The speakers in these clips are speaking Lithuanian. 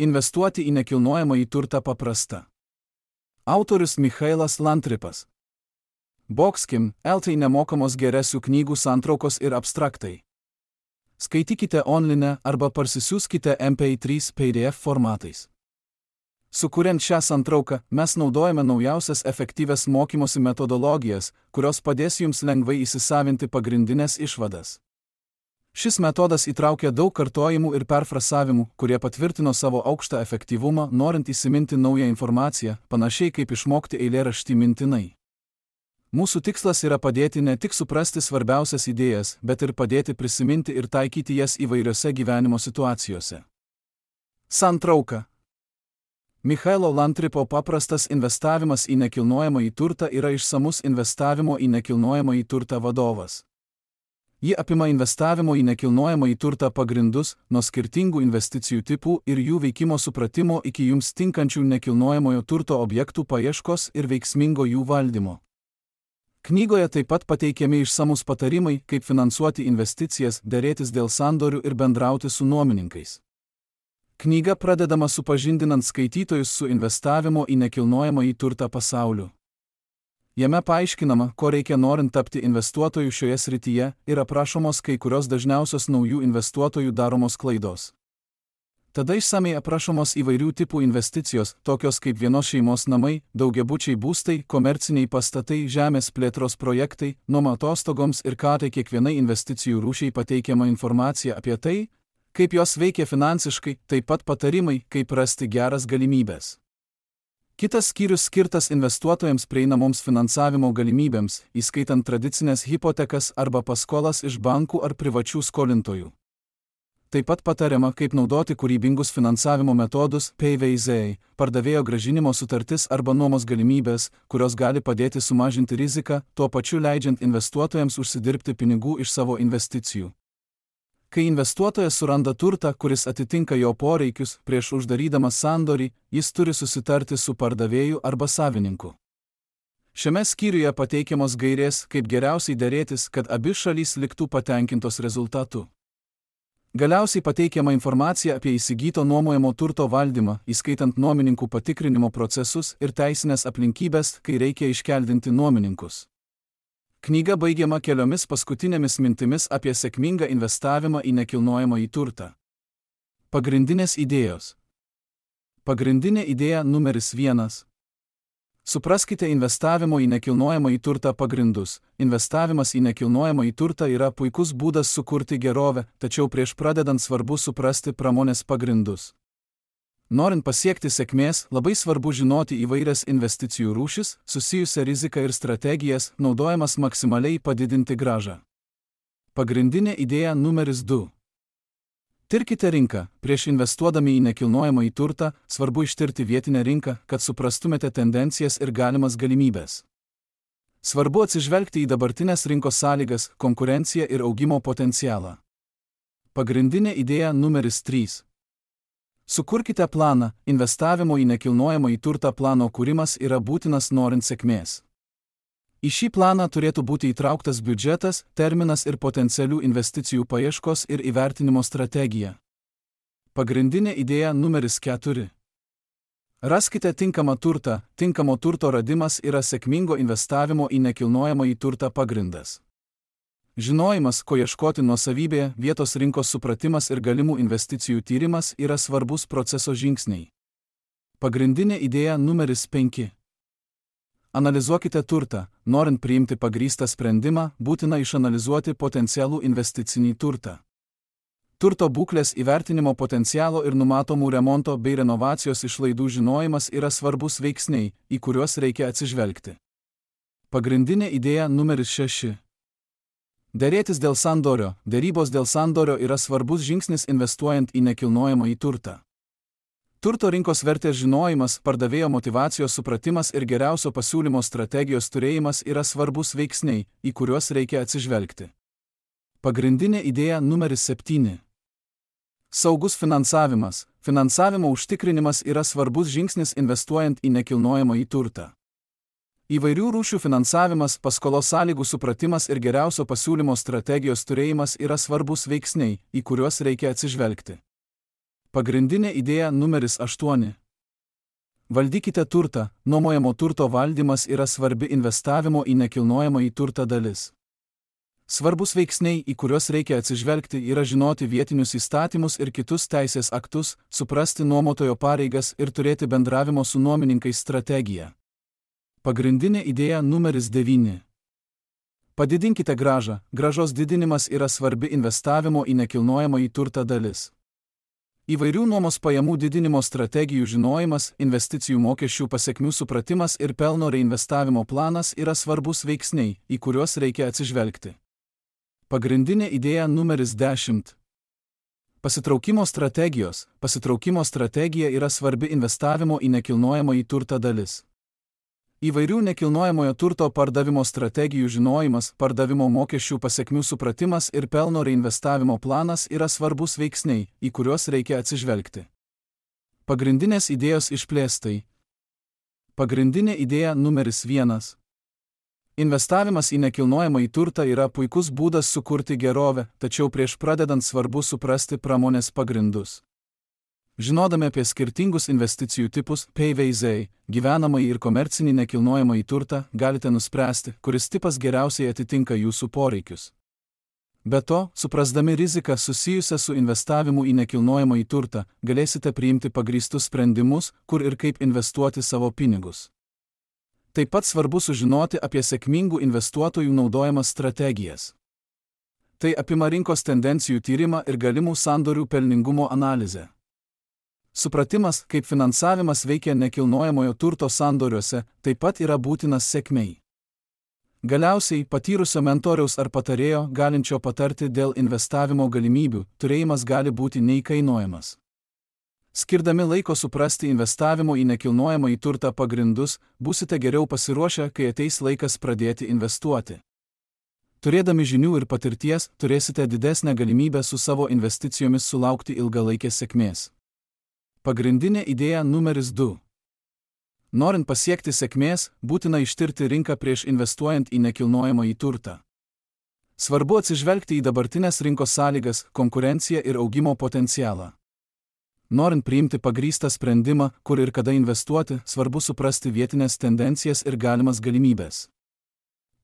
Investuoti į nekilnojamąjį turtą paprasta. Autorius Michailas Lantripas. Boxkim, LT nemokamos geresių knygų santraukos ir abstraktai. Skaitykite online arba parsisiųskite MP3 PDF formatais. Sukuriant šią santrauką, mes naudojame naujausias efektyvias mokymosi metodologijas, kurios padės jums lengvai įsisavinti pagrindinės išvadas. Šis metodas įtraukia daug kartojimų ir perfrasavimų, kurie patvirtino savo aukštą efektyvumą, norint įsiminti naują informaciją, panašiai kaip išmokti eilėraštį mintinai. Mūsų tikslas yra padėti ne tik suprasti svarbiausias idėjas, bet ir padėti prisiminti ir taikyti jas įvairiose gyvenimo situacijose. Santrauka. Michailo Lantripo paprastas investavimas į nekilnojamąjį turtą yra išsamus investavimo į nekilnojamąjį turtą vadovas. Ji apima investavimo į nekilnojamąjį turtą pagrindus, nuo skirtingų investicijų tipų ir jų veikimo supratimo iki jums tinkančių nekilnojamojo turto objektų paieškos ir veiksmingo jų valdymo. Knygoje taip pat pateikiami išsamus patarimai, kaip finansuoti investicijas, derėtis dėl sandorių ir bendrauti su nuomininkais. Knyga pradedama supažindinant skaitytojus su investavimo į nekilnojamąjį turtą pasauliu. Jame paaiškinama, ko reikia norint tapti investuotojų šioje srityje ir aprašomos kai kurios dažniausios naujų investuotojų daromos klaidos. Tada išsamei aprašomos įvairių tipų investicijos, tokios kaip vienos šeimos namai, daugiabučiai būstai, komerciniai pastatai, žemės plėtros projektai, nuoma atostogoms ir ką tai kiekvienai investicijų rūšiai pateikiama informacija apie tai, kaip jos veikia finansiškai, taip pat patarimai, kaip rasti geras galimybės. Kitas skyrius skirtas investuotojams prieinamoms finansavimo galimybėms, įskaitant tradicinės hipotekas arba paskolas iš bankų ar privačių skolintojų. Taip pat patariama, kaip naudoti kūrybingus finansavimo metodus, PVZ, pardavėjo grąžinimo sutartis arba nuomos galimybės, kurios gali padėti sumažinti riziką, tuo pačiu leidžiant investuotojams užsidirbti pinigų iš savo investicijų. Kai investuotojas suranda turtą, kuris atitinka jo poreikius, prieš uždarydamas sandorį, jis turi susitarti su pardavėju arba savininku. Šiame skyriuje pateikiamos gairės, kaip geriausiai derėtis, kad abi šalys liktų patenkintos rezultatu. Galiausiai pateikiama informacija apie įsigyto nuomojamo turto valdymą, įskaitant nuomininkų patikrinimo procesus ir teisinės aplinkybės, kai reikia iškeldinti nuomininkus. Knyga baigiama keliomis paskutinėmis mintimis apie sėkmingą investavimą į nekilnojamąjį turtą. Pagrindinės idėjos. Pagrindinė idėja numeris 1. Supraskite investavimo į nekilnojamąjį turtą pagrindus. Investavimas į nekilnojamąjį turtą yra puikus būdas sukurti gerovę, tačiau prieš pradedant svarbu suprasti pramonės pagrindus. Norint pasiekti sėkmės, labai svarbu žinoti įvairias investicijų rūšis, susijusią riziką ir strategijas, naudojamas maksimaliai padidinti grąžą. Pagrindinė idėja numeris 2. Tirkite rinką. Prieš investuodami į nekilnojamąjį turtą, svarbu ištirti vietinę rinką, kad suprastumėte tendencijas ir galimas galimybės. Svarbu atsižvelgti į dabartinės rinkos sąlygas, konkurenciją ir augimo potencialą. Pagrindinė idėja numeris 3. Sukurkite planą. Investavimo į nekilnojamąjį turtą plano kūrimas yra būtinas norint sėkmės. Į šį planą turėtų būti įtrauktas biudžetas, terminas ir potencialių investicijų paieškos ir įvertinimo strategija. Pagrindinė idėja numeris 4. Raskite tinkamą turtą. Tinkamo turto radimas yra sėkmingo investavimo į nekilnojamąjį turtą pagrindas. Žinojimas, ko ieškoti nuosavybėje, vietos rinkos supratimas ir galimų investicijų tyrimas yra svarbus proceso žingsniai. Pagrindinė idėja numeris 5. Analizuokite turtą. Norint priimti pagrįstą sprendimą, būtina išanalizuoti potencialų investicinį turtą. Turto būklės įvertinimo potencialo ir numatomų remonto bei renovacijos išlaidų žinojimas yra svarbus veiksniai, į kuriuos reikia atsižvelgti. Pagrindinė idėja numeris 6. Derėtis dėl sandorio. Derybos dėl sandorio yra svarbus žingsnis investuojant į nekilnojamąjį turtą. Turto rinkos vertės žinojimas, pardavėjo motyvacijos supratimas ir geriausio pasiūlymo strategijos turėjimas yra svarbus veiksniai, į kuriuos reikia atsižvelgti. Pagrindinė idėja numeris 7. Saugus finansavimas. Finansavimo užtikrinimas yra svarbus žingsnis investuojant į nekilnojamąjį turtą. Įvairių rūšių finansavimas, paskolos sąlygų supratimas ir geriausio pasiūlymo strategijos turėjimas yra svarbus veiksniai, į kuriuos reikia atsižvelgti. Pagrindinė idėja numeris 8. Valdykite turtą. Nuomojamo turto valdymas yra svarbi investavimo į nekilnojamąjį turtą dalis. Svarbus veiksniai, į kuriuos reikia atsižvelgti, yra žinoti vietinius įstatymus ir kitus teisės aktus, suprasti nuomotojo pareigas ir turėti bendravimo su nuomininkais strategiją. Pagrindinė idėja numeris 9. Padidinkite grąžą. Grąžos didinimas yra svarbi investavimo į nekilnojamąjį turtą dalis. Įvairių nuomos pajamų didinimo strategijų žinojimas, investicijų mokesčių pasekmių supratimas ir pelno reinvestavimo planas yra svarbus veiksniai, į kuriuos reikia atsižvelgti. Pagrindinė idėja numeris 10. Pasitraukimo strategijos. Pasitraukimo strategija yra svarbi investavimo į nekilnojamąjį turtą dalis. Įvairių nekilnojamojo turto pardavimo strategijų žinojimas, pardavimo mokesčių pasekmių supratimas ir pelno reinvestavimo planas yra svarbus veiksniai, į kuriuos reikia atsižvelgti. Pagrindinės idėjos išplėstai. Pagrindinė idėja numeris 1. Investavimas į nekilnojamąjį turtą yra puikus būdas sukurti gerovę, tačiau prieš pradedant svarbu suprasti pramonės pagrindus. Žinodami apie skirtingus investicijų tipus, PVZ, gyvenamąjį ir komercinį nekilnojamąjį turtą, galite nuspręsti, kuris tipas geriausiai atitinka jūsų poreikius. Be to, suprasdami riziką susijusią su investavimu į nekilnojamąjį turtą, galėsite priimti pagrįstus sprendimus, kur ir kaip investuoti savo pinigus. Taip pat svarbu sužinoti apie sėkmingų investuotojų naudojamas strategijas. Tai apima rinkos tendencijų tyrimą ir galimų sandorių pelningumo analizę. Supratimas, kaip finansavimas veikia nekilnojamojo turto sandoriuose, taip pat yra būtinas sėkmei. Galiausiai, patyrusio mentoriaus ar patarėjo, galinčio patarti dėl investavimo galimybių, turėjimas gali būti neįkainojamas. Skirdami laiko suprasti investavimo į nekilnojamąjį turtą pagrindus, būsite geriau pasiruošę, kai ateis laikas pradėti investuoti. Turėdami žinių ir patirties, turėsite didesnę galimybę su savo investicijomis sulaukti ilgalaikės sėkmės. Pagrindinė idėja numeris 2. Norint pasiekti sėkmės, būtina ištirti rinką prieš investuojant į nekilnojamąjį turtą. Svarbu atsižvelgti į dabartinės rinkos sąlygas, konkurenciją ir augimo potencialą. Norint priimti pagrįstą sprendimą, kur ir kada investuoti, svarbu suprasti vietinės tendencijas ir galimas galimybės.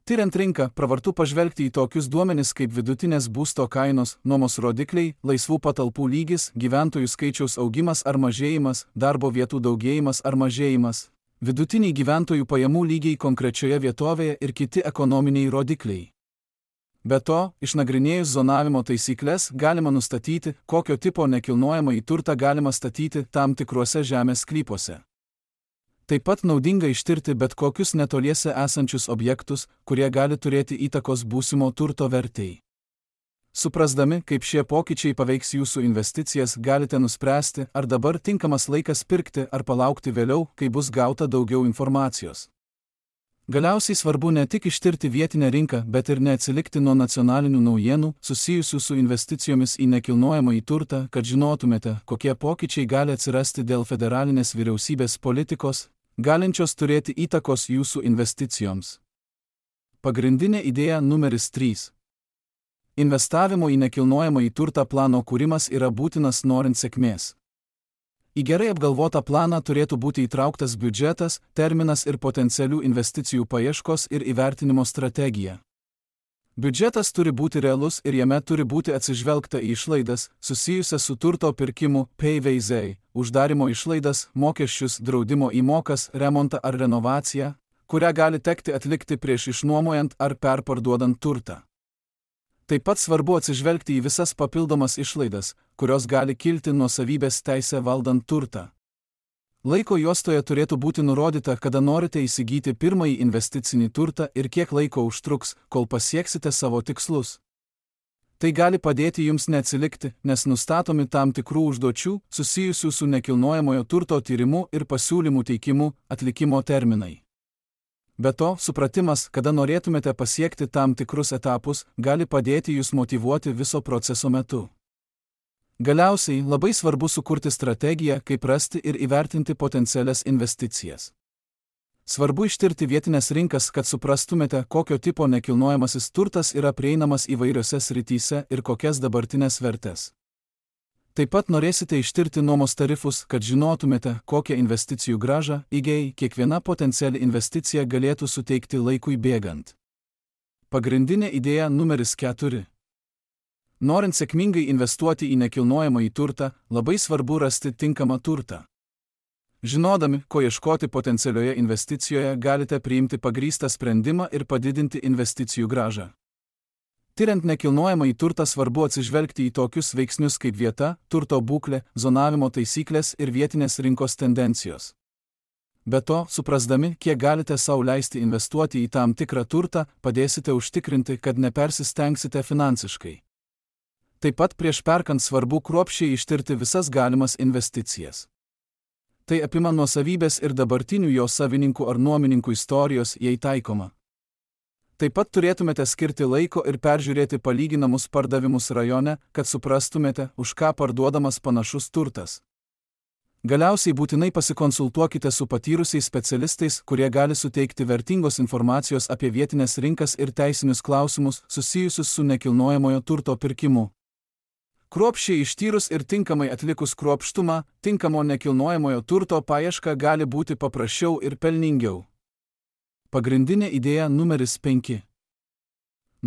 Tiriant rinką, pravartu pažvelgti į tokius duomenis kaip vidutinės būsto kainos, nuomos rodikliai, laisvų patalpų lygis, gyventojų skaičiaus augimas ar mažėjimas, darbo vietų daugėjimas ar mažėjimas, vidutiniai gyventojų pajamų lygiai konkrečioje vietovėje ir kiti ekonominiai rodikliai. Be to, išnagrinėjus zonavimo taisyklės, galima nustatyti, kokio tipo nekilnojamąjį turtą galima statyti tam tikruose žemės sklypuose. Taip pat naudinga ištirti bet kokius netoliese esančius objektus, kurie gali turėti įtakos būsimo turto vertei. Suprasdami, kaip šie pokyčiai paveiks jūsų investicijas, galite nuspręsti, ar dabar tinkamas laikas pirkti ar palaukti vėliau, kai bus gauta daugiau informacijos. Galiausiai svarbu ne tik ištirti vietinę rinką, bet ir neatsilikti nuo nacionalinių naujienų, susijusių su investicijomis į nekilnojamąjį turtą, kad žinotumėte, kokie pokyčiai gali atsirasti dėl federalinės vyriausybės politikos, galinčios turėti įtakos jūsų investicijoms. Pagrindinė idėja numeris 3. Investavimo į nekilnojamąjį turtą plano kūrimas yra būtinas norint sėkmės. Į gerai apgalvotą planą turėtų būti įtrauktas biudžetas, terminas ir potencialių investicijų paieškos ir įvertinimo strategija. Biudžetas turi būti realus ir jame turi būti atsižvelgta į išlaidas, susijusias su turto pirkimu, PVZ, uždarimo išlaidas, mokesčius, draudimo įmokas, remontą ar renovaciją, kurią gali tekti atlikti prieš išnuomojant ar perparduodant turtą. Taip pat svarbu atsižvelgti į visas papildomas išlaidas, kurios gali kilti nuosavybės teisę valdant turtą. Laiko juostoje turėtų būti nurodyta, kada norite įsigyti pirmąjį investicinį turtą ir kiek laiko užtruks, kol pasieksite savo tikslus. Tai gali padėti jums neatsilikti, nes nustatomi tam tikrų užduočių, susijusių su nekilnojamojo turto tyrimu ir pasiūlymų teikimu, atlikimo terminai. Be to, supratimas, kada norėtumėte pasiekti tam tikrus etapus, gali padėti jūs motyvuoti viso proceso metu. Galiausiai, labai svarbu sukurti strategiją, kaip rasti ir įvertinti potencialias investicijas. Svarbu ištirti vietinės rinkas, kad suprastumėte, kokio tipo nekilnojamasis turtas yra prieinamas įvairiose srityse ir kokias dabartinės vertės. Taip pat norėsite ištirti nuomos tarifus, kad žinotumėte, kokią investicijų grąžą IGEI kiekviena potenciali investicija galėtų suteikti laikui bėgant. Pagrindinė idėja numeris 4. Norint sėkmingai investuoti į nekilnojamąjį turtą, labai svarbu rasti tinkamą turtą. Žinodami, ko ieškoti potencialioje investicijoje, galite priimti pagrįstą sprendimą ir padidinti investicijų grąžą. Tiriant nekilnojamąjį turtą svarbu atsižvelgti į tokius veiksnius kaip vieta, turto būklė, zonavimo taisyklės ir vietinės rinkos tendencijos. Be to, suprasdami, kiek galite sau leisti investuoti į tam tikrą turtą, padėsite užtikrinti, kad nepersistengsite finansiškai. Taip pat prieš perkant svarbu kruopščiai ištirti visas galimas investicijas. Tai apima nuosavybės ir dabartinių jo savininkų ar nuomininkų istorijos, jei taikoma. Taip pat turėtumėte skirti laiko ir peržiūrėti palyginamus pardavimus rajone, kad suprastumėte, už ką parduodamas panašus turtas. Galiausiai būtinai pasikonsultuokite su patyrusiais specialistais, kurie gali suteikti vertingos informacijos apie vietinės rinkas ir teisinius klausimus susijusius su nekilnojamojo turto pirkimu. Kruopščiai ištyrus ir tinkamai atlikus kruopštumą, tinkamo nekilnojamojo turto paieška gali būti paprasčiau ir pelningiau. Pagrindinė idėja numeris 5.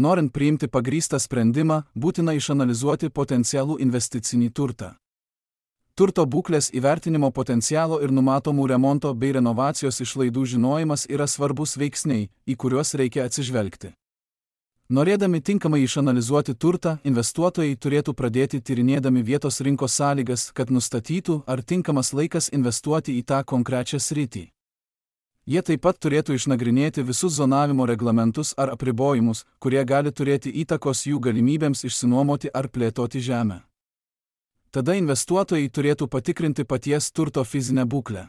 Norint priimti pagrįstą sprendimą, būtina išanalizuoti potencialų investicinį turtą. Turto būklės įvertinimo potencialo ir numatomų remonto bei renovacijos išlaidų žinojimas yra svarbus veiksniai, į kuriuos reikia atsižvelgti. Norėdami tinkamai išanalizuoti turtą, investuotojai turėtų pradėti tyrinėdami vietos rinkos sąlygas, kad nustatytų, ar tinkamas laikas investuoti į tą konkrečią sritį. Jie taip pat turėtų išnagrinėti visus zonavimo reglamentus ar apribojimus, kurie gali turėti įtakos jų galimybėms išsinuomoti ar plėtoti žemę. Tada investuotojai turėtų patikrinti paties turto fizinę būklę.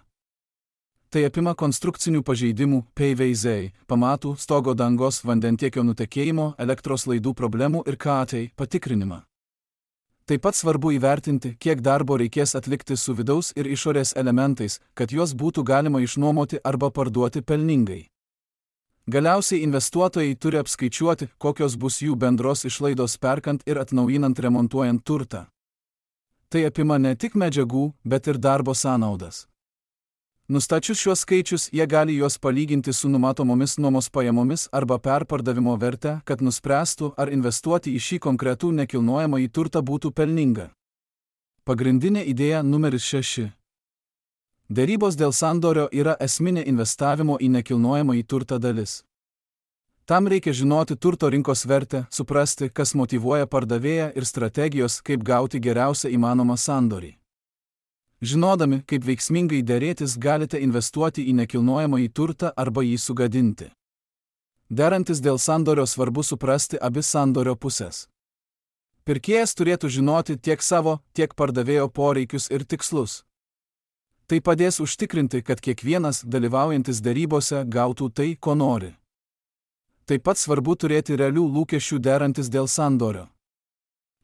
Tai apima konstrukcinių pažeidimų, PVZ, pamatų, stogo dangos, vandentiekio nutekėjimo, elektros laidų problemų ir KATEI patikrinimą. Taip pat svarbu įvertinti, kiek darbo reikės atlikti su vidaus ir išorės elementais, kad juos būtų galima išnuomoti arba parduoti pelningai. Galiausiai investuotojai turi apskaičiuoti, kokios bus jų bendros išlaidos perkant ir atnaujinant remontuojant turtą. Tai apima ne tik medžiagų, bet ir darbo sąnaudas. Nustačius šiuos skaičius, jie gali juos palyginti su numatomomis nuomos pajamomis arba perpardavimo verte, kad nuspręstų, ar investuoti į šį konkretų nekilnojamąjį turtą būtų pelninga. Pagrindinė idėja numeris 6. Derybos dėl sandorio yra esminė investavimo į nekilnojamąjį turtą dalis. Tam reikia žinoti turto rinkos vertę, suprasti, kas motyvuoja pardavėją ir strategijos, kaip gauti geriausią įmanomą sandorį. Žinodami, kaip veiksmingai derėtis, galite investuoti į nekilnojamąjį turtą arba jį sugadinti. Derantis dėl sandorio svarbu suprasti abi sandorio pusės. Pirkėjas turėtų žinoti tiek savo, tiek pardavėjo poreikius ir tikslus. Tai padės užtikrinti, kad kiekvienas dalyvaujantis derybose gautų tai, ko nori. Taip pat svarbu turėti realių lūkesčių derantis dėl sandorio.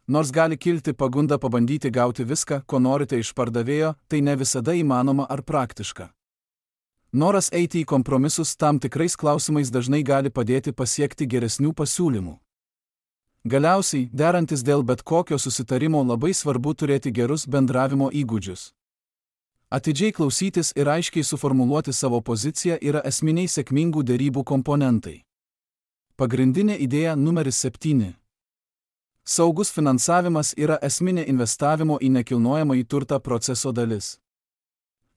Nors gali kilti pagunda pabandyti gauti viską, ko norite iš pardavėjo, tai ne visada įmanoma ar praktiška. Noras eiti į kompromisus tam tikrais klausimais dažnai gali padėti pasiekti geresnių pasiūlymų. Galiausiai, derantis dėl bet kokio susitarimo, labai svarbu turėti gerus bendravimo įgūdžius. Atidžiai klausytis ir aiškiai suformuluoti savo poziciją yra esminiai sėkmingų derybų komponentai. Pagrindinė idėja numeris 7. Saugus finansavimas yra esminė investavimo į nekilnojamąjį turtą proceso dalis.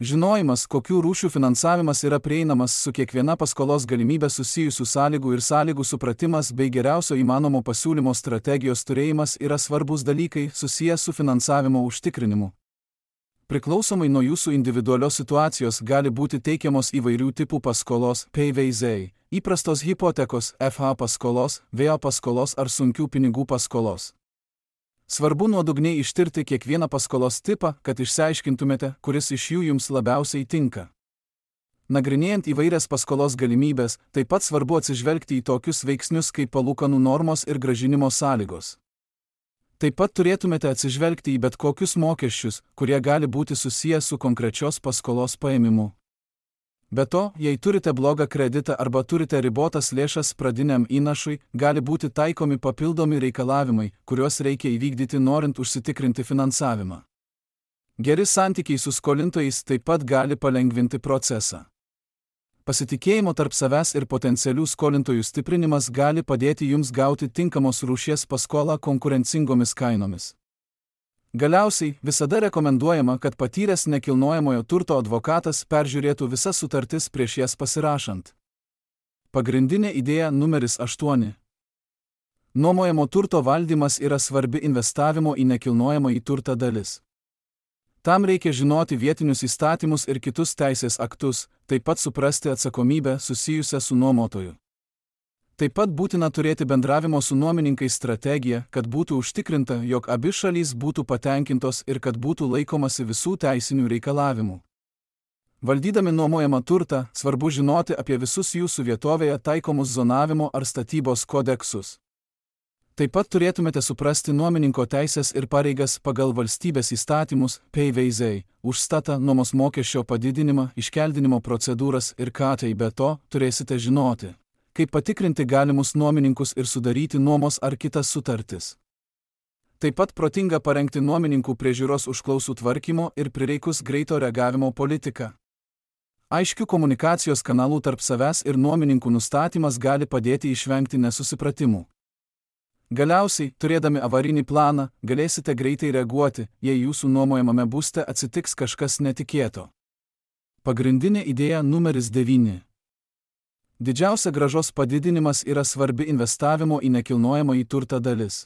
Žinojimas, kokių rūšių finansavimas yra prieinamas, su kiekviena paskolos galimybė susijusių sąlygų ir sąlygų supratimas bei geriausio įmanomo pasiūlymo strategijos turėjimas yra svarbus dalykai susijęs su finansavimo užtikrinimu. Priklausomai nuo jūsų individualios situacijos gali būti teikiamos įvairių tipų paskolos, PVZ, įprastos hipotekos, FH paskolos, VA paskolos ar sunkių pinigų paskolos. Svarbu nuodugniai ištirti kiekvieną paskolos tipą, kad išsiaiškintumėte, kuris iš jų jums labiausiai tinka. Nagrinėjant įvairias paskolos galimybės, taip pat svarbu atsižvelgti į tokius veiksnius kaip palūkanų normos ir grąžinimo sąlygos. Taip pat turėtumėte atsižvelgti į bet kokius mokesčius, kurie gali būti susiję su konkrečios paskolos paėmimu. Be to, jei turite blogą kreditą arba turite ribotas lėšas pradiniam įnašui, gali būti taikomi papildomi reikalavimai, kuriuos reikia įvykdyti norint užsitikrinti finansavimą. Geri santykiai su skolintojais taip pat gali palengvinti procesą. Pasitikėjimo tarp savęs ir potencialių skolintojų stiprinimas gali padėti jums gauti tinkamos rūšies paskolą konkurencingomis kainomis. Galiausiai, visada rekomenduojama, kad patyręs nekilnojamojo turto advokatas peržiūrėtų visas sutartis prieš jas pasirašant. Pagrindinė idėja numeris 8. Nuomojamo turto valdymas yra svarbi investavimo į nekilnojamąjį turtą dalis. Tam reikia žinoti vietinius įstatymus ir kitus teisės aktus, taip pat suprasti atsakomybę susijusią su nuomotoju. Taip pat būtina turėti bendravimo su nuomininkais strategiją, kad būtų užtikrinta, jog abi šalys būtų patenkintos ir kad būtų laikomasi visų teisinių reikalavimų. Valdydami nuomojamą turtą, svarbu žinoti apie visus jūsų vietovėje taikomus zonavimo ar statybos kodeksus. Taip pat turėtumėte suprasti nuomininko teisės ir pareigas pagal valstybės įstatymus, PVZ, užstatą, nuomos mokesčio padidinimą, iškeldinimo procedūras ir ką tai be to turėsite žinoti, kaip patikrinti galimus nuomininkus ir sudaryti nuomos ar kitas sutartis. Taip pat protinga parengti nuomininkų priežiūros užklausų tvarkymo ir prireikus greito reagavimo politiką. Aiškių komunikacijos kanalų tarp savęs ir nuomininkų nustatymas gali padėti išvengti nesusipratimų. Galiausiai, turėdami avarinį planą, galėsite greitai reaguoti, jei jūsų nuomojamame būste atsitiks kažkas netikėto. Pagrindinė idėja numeris 9. Didžiausia grąžos padidinimas yra svarbi investavimo į nekilnojamąjį turtą dalis.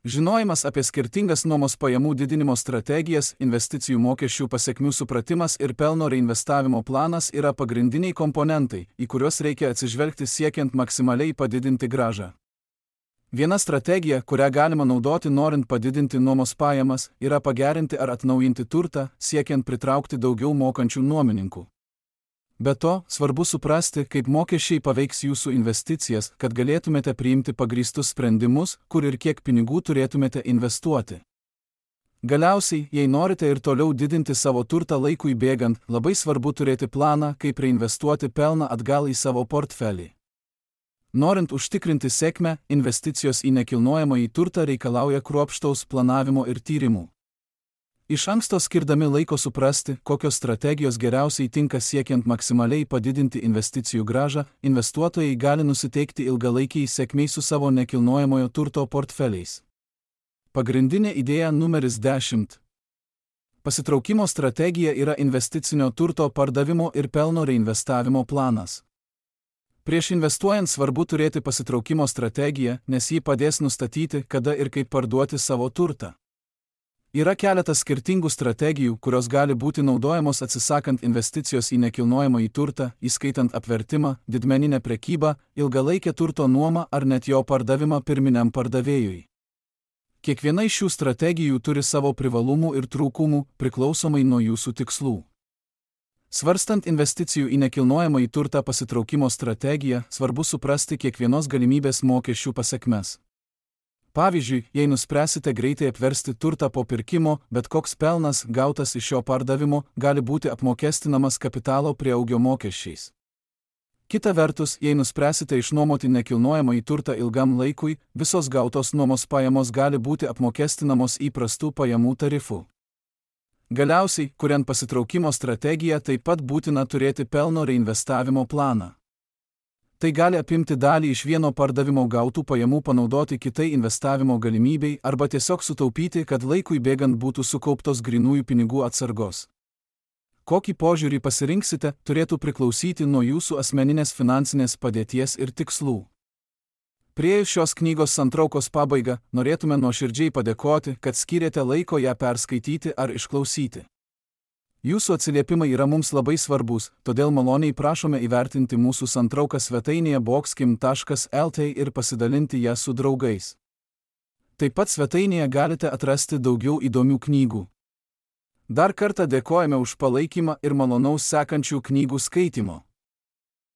Žinojimas apie skirtingas nuomos pajamų didinimo strategijas, investicijų mokesčių pasekmių supratimas ir pelno reinvestavimo planas yra pagrindiniai komponentai, į kuriuos reikia atsižvelgti siekiant maksimaliai padidinti grąžą. Viena strategija, kurią galima naudoti norint padidinti nuomos pajamas, yra pagerinti ar atnaujinti turtą, siekiant pritraukti daugiau mokančių nuomininkų. Be to, svarbu suprasti, kaip mokesčiai paveiks jūsų investicijas, kad galėtumėte priimti pagrįstus sprendimus, kur ir kiek pinigų turėtumėte investuoti. Galiausiai, jei norite ir toliau didinti savo turtą laikui bėgant, labai svarbu turėti planą, kaip reinvestuoti pelną atgal į savo portfelį. Norint užtikrinti sėkmę, investicijos į nekilnojamąjį turtą reikalauja kruopštaus planavimo ir tyrimų. Iš anksto skirdami laiko suprasti, kokios strategijos geriausiai tinka siekiant maksimaliai padidinti investicijų grąžą, investuotojai gali nusiteikti ilgalaikiai sėkmiai su savo nekilnojamojo turto portfeliais. Pagrindinė idėja numeris 10. Pasitraukimo strategija yra investicinio turto pardavimo ir pelno reinvestavimo planas. Prieš investuojant svarbu turėti pasitraukimo strategiją, nes ji padės nustatyti, kada ir kaip parduoti savo turtą. Yra keletas skirtingų strategijų, kurios gali būti naudojamos atsisakant investicijos į nekilnojamąjį turtą, įskaitant apvertimą, didmeninę prekybą, ilgalaikę turto nuomą ar net jo pardavimą pirminiam pardavėjui. Kiekviena iš šių strategijų turi savo privalumų ir trūkumų, priklausomai nuo jūsų tikslų. Svarstant investicijų į nekilnojamąjį turtą pasitraukimo strategiją, svarbu suprasti kiekvienos galimybės mokesčių pasekmes. Pavyzdžiui, jei nuspręsite greitai apversti turtą po pirkimo, bet koks pelnas gautas iš šio pardavimo gali būti apmokestinamas kapitalo prieaugio mokesčiais. Kita vertus, jei nuspręsite išnuomoti nekilnojamąjį turtą ilgam laikui, visos gautos nuomos pajamos gali būti apmokestinamos įprastų pajamų tarifu. Galiausiai, kuriant pasitraukimo strategiją, taip pat būtina turėti pelno reinvestavimo planą. Tai gali apimti dalį iš vieno pardavimo gautų pajamų panaudoti kitai investavimo galimybei arba tiesiog sutaupyti, kad laikui bėgant būtų sukauptos grynųjų pinigų atsargos. Kokį požiūrį pasirinksite, turėtų priklausyti nuo jūsų asmeninės finansinės padėties ir tikslų. Priėjus šios knygos santraukos pabaigą, norėtume nuoširdžiai padėkoti, kad skyrėte laiko ją perskaityti ar išklausyti. Jūsų atsiliepimai yra mums labai svarbus, todėl maloniai prašome įvertinti mūsų santrauką svetainėje boxkim.lt ir pasidalinti ją su draugais. Taip pat svetainėje galite atrasti daugiau įdomių knygų. Dar kartą dėkojame už palaikymą ir malonaus sekančių knygų skaitimo.